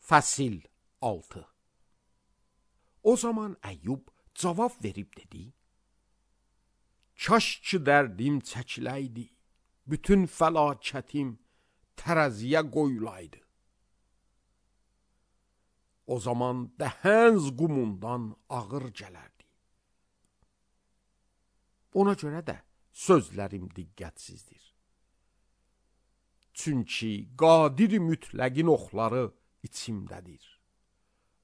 Fəsil 6. O zaman Əyyub cavab verib dedi: Kaş ki dərdim çəkiləydi, bütün fəlakətim tərəziyə qoyulaydı. O zaman dəhənz qumundan ağır gələrdi. Ona görə də sözlərim diqqətsizdir. Çünki qadir mütləqin oxları içimdədir.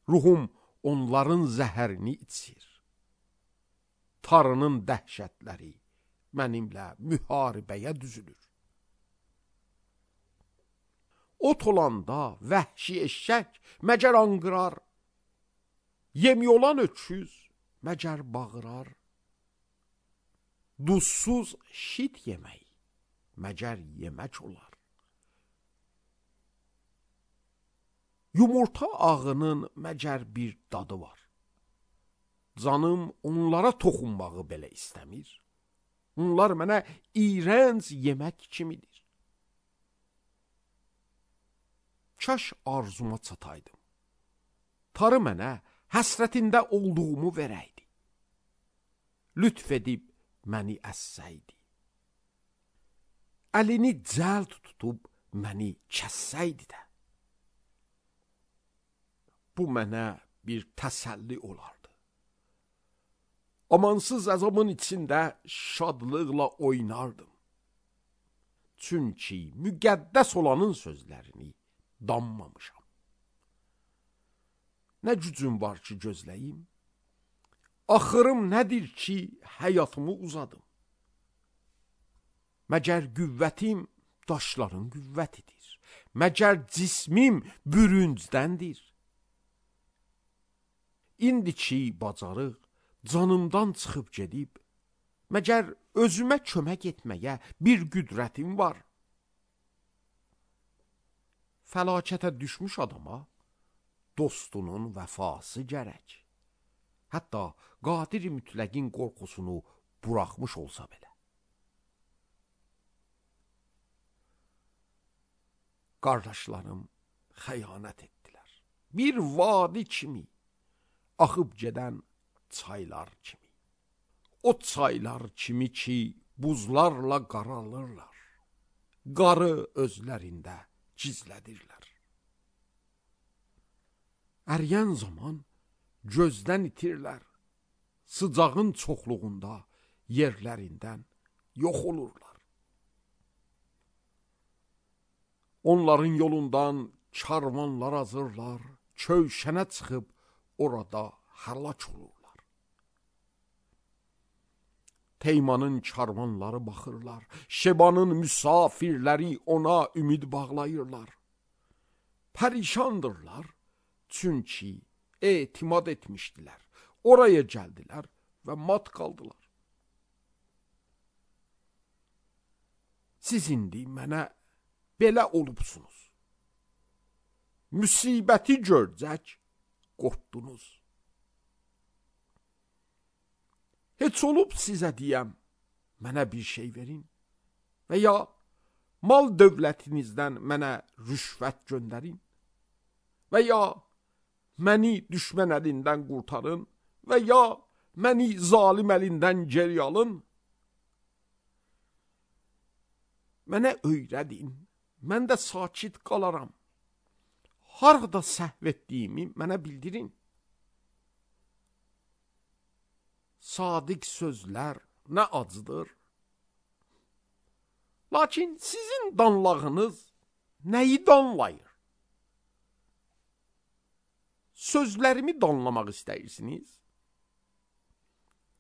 Ruhum onların zəhərini içir. Tarının dəhşətləri mənimlə müharibəyə düzülür. Ot olanda vəhşi eşşək məgər anqırar, yemi olan öküz məgər bağırar. Duzsuz şit yemək məgər yemək olar. Yumurta ağının məgər bir dadı var. Canım onlara toxunmağı belə istəmir. Onlar mənə iyrənc yemək kimidir. Kaş arzuma çataydım. Tarı mənə həsrətində olduğumu verəydi. Lütf edib məni əssəydi. Əlini cəld tutub məni kəssəydi də. Bu mənə bir təsəlli olardı. Amansız əzabın içində şadlıqla oynardım. Çünki müqəddəs olanın sözlərini danmamışam. Nə gücüm var ki gözləyim? Axırım nədir ki həyatımı uzadım? Məgər qüvvətim daşların qüvvətidir. Məgər cismim bürüncdəndir. İndi ki bacarıq canımdan çıxıb gedib, məgər özümə kömək etməyə bir qüdrətim var. Fəlakətə düşmüş adama dostunun vəfası gərək. Hətta qadir mütləqin qorxusunu buraxmış olsa belə. Qardaşlarım xəyanət etdilər. Bir vadi kimi, axıb gedən çaylar kimi. O çaylar kimi ki buzlarla qaralırlar. Qarı özlərində gizlədirlər. Əriyən zaman gözdən itirlər. Sıcağın çoxluğunda yerlərindən yox olurlar. Onların yolundan karvanlar azırlar, kövşənə çıxıb orada həlak olurlar. Teymanın karvanları baxırlar, Şebanın müsafirləri ona ümid bağlayırlar. Pərişandırlar, çünki etimad etmişdilər. Oraya gəldilər və mat qaldılar. Siz indi mənə belə olubsunuz. Müsibəti görcək qorxdunuz. Heç olub sizə deyəm, mənə bir şey verin və ya mal dövlətinizdən mənə rüşvət göndərin və ya məni düşmən əlindən qurtarın və ya məni zalim əlindən geri alın. Mənə öyrədin, mən də sakit qalaram. Harada səhv etdiyimi mənə bildirin. Sadiq sözlər nə acıdır. Lakin sizin danlağınız nəyi danlayır? Sözlərimi danlamaq istəyirsiniz?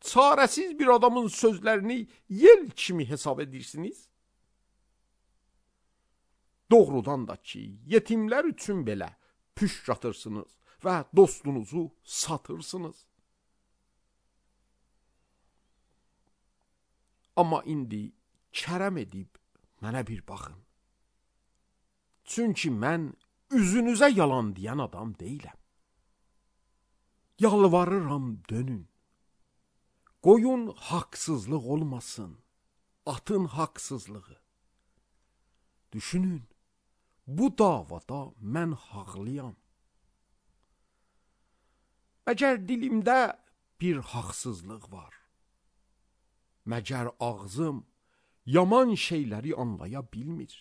Çarəsiz bir adamın sözlərini yel kimi hesab edirsiniz? Doğrudan da ki, yetimlər üçün belə püşk atırsınız və dostunuzu satırsınız. Amma indi kərəm edib mənə bir baxın. Çünki mən üzünüzə yalan deyən adam deyiləm. Yalvarıram dönün. Qoyun haqsızlıq olmasın, atın haqsızlığı. Düşünün, bu davada mən haqlıyam. Məgər dilimdə bir haqsızlıq var? Məgər ağzım yaman şeyləri anlaya bilmir?